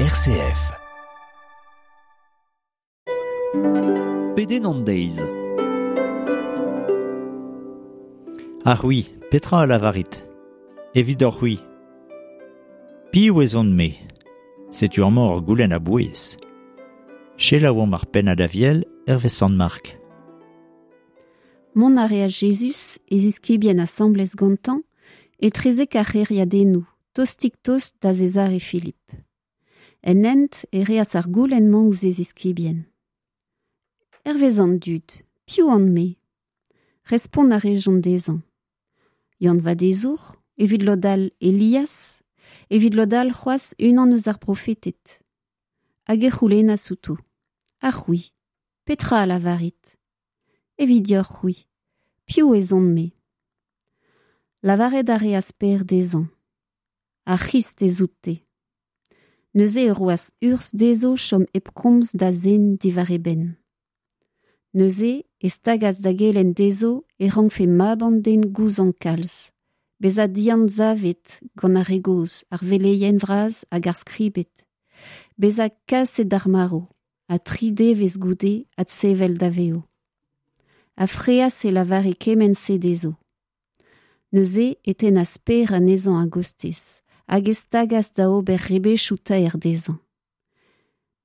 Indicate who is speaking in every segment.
Speaker 1: RCF.
Speaker 2: Pedenn an deiz.
Speaker 3: Ha c'hwi, petra a lavarit? Evidoc'h-c'hwi. Piv ez on-me? Setu amañ ur goulenn a-bouez. Selaouomp ar pennad Aviel hervez Sant Mark.
Speaker 4: Mont a reas Jezuz, e ziskibien asambles gantañ, etrezek ar c'hêriadennoù, tostik-tost da Sezare Filip. En hent e reas ar goulenn-mañ ouzh e ziskibien. Hervez an dud, piv on-me? Respont a rejont dezhañ. Yann Vadezour, evit lod all Elias, evit lod all c'hoazh unan eus ar profeted. Hag e c'houlennas outo. Ha c'hwi, petra a lavarit? Evit deoc'h-c'hwi, piv ez on-me? Lavaret a reas Pêr dezhañ. Ar C'hrist ez out-te. Neuze e roas urzh dezho chom hep komz da zen diwar e benn. Neuze e stagas da gelenn dezho e rankfe mab an den gouzañv kalz, bezañ dianzavet gant ar re gozh, ar veleien vras hag ar skribed, bezañ kaset d'ar marv ha tri devezh goude adsevel da vev. Ha freas e lavare kement-se dezho. Neuze e tennas Pêr anezhañ a-gostez hag e stagas da ober rebechoù taer dezhañ.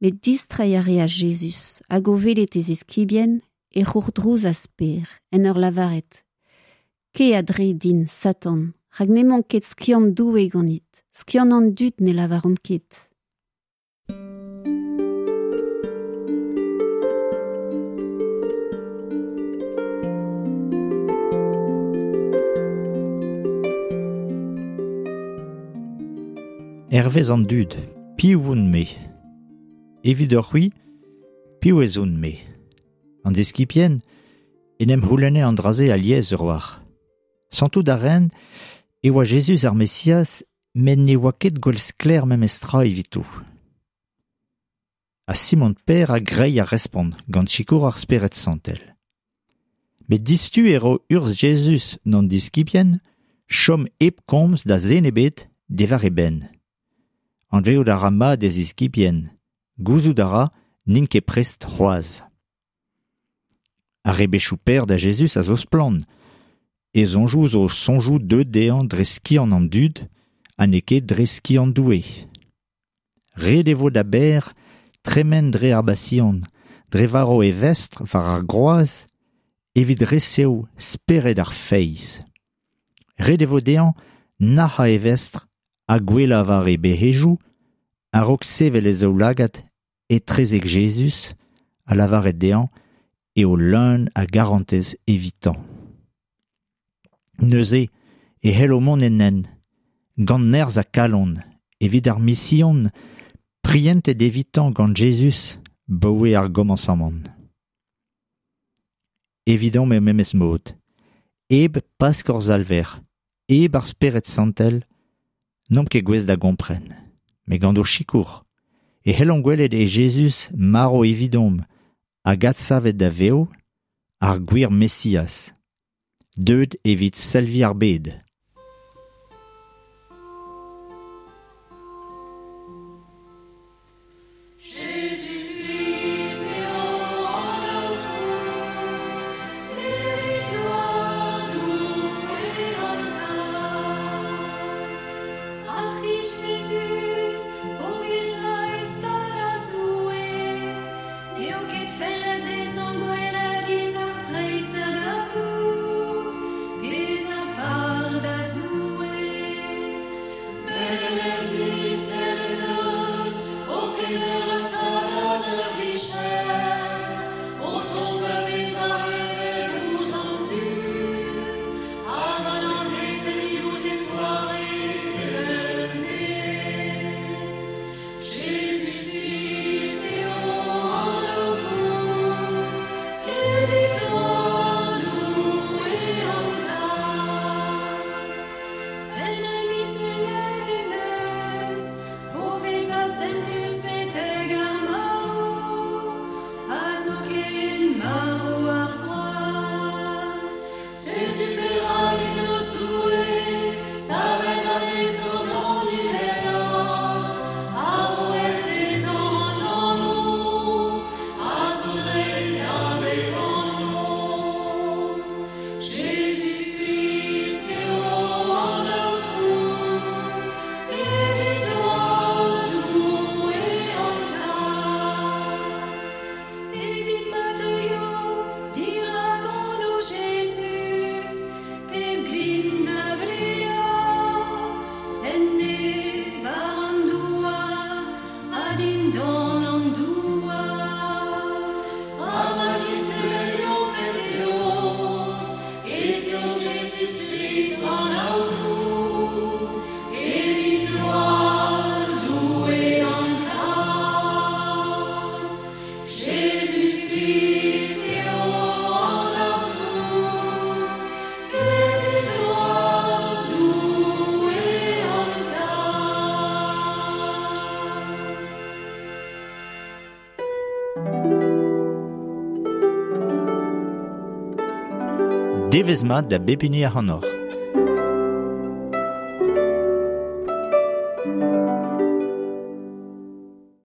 Speaker 4: Met distreiñ a reas Jezuz hag o welet e ziskibien e c'hourdrouzas Pêr en ur lavaret Kae a-dre din, Satan, rak n'emañ ket skiant Doue ganit, skiant an dud ne lavaran ket.
Speaker 3: Hervez an dud, piv on-me? Evidoc'h-c'hwi, piv ez on-me? An deskipien en em c'houlenne an dra-se alies ur wac'h. Santout a raent e oa Jezuz ar Mesiaz, met ne oa ket gwall sklaer memestra evito. Ha Simon Pêr a greiñ ar respont gant sikour ar Spered Santel. Met distu e ro urzh Jezuz d'an diskibien chom hep komz da zen ebet diwar e benn. Anvezout a ra mat e ziskibien, gouzout a ra n'int ket prest c'hoazh. Ar rebechoù Pêr da Jezuz a zo splann. E soñjoù zo soñjoù deuet dezhañ dre skiant an dud ha n'eo ket dre skiant Doue. Ret e vo da Bêr tremen dre ar Basion, dre varv e vestr war ar groaz evit resev spered ar feiz. Ret e vo dezhañ nac'hañ e vestr ha gouelañ war e bec'hejoù a-raok sevel e zaoulagad etrezek Jezuz ha lavaret dezhañ eo leun a garantez evitañ. Neuze e c'hello mont en hent, gant nerzh ha kalon, evit ar mision prientet evitañ gant Jezuz 'baoe ar gomañsamant. Evidomp er memes mod, hep Pask hor Salver, hep ar Spered Santel, n'omp ket gouest da gompren. Met gant ho sikour e c'hellomp gwelet e Jezuz marv evidomp hag adsavet da vev ar gwir Mesiaz, deuet evit salviñ ar bed. Devezh mat da bep hini ac'hanoc'h.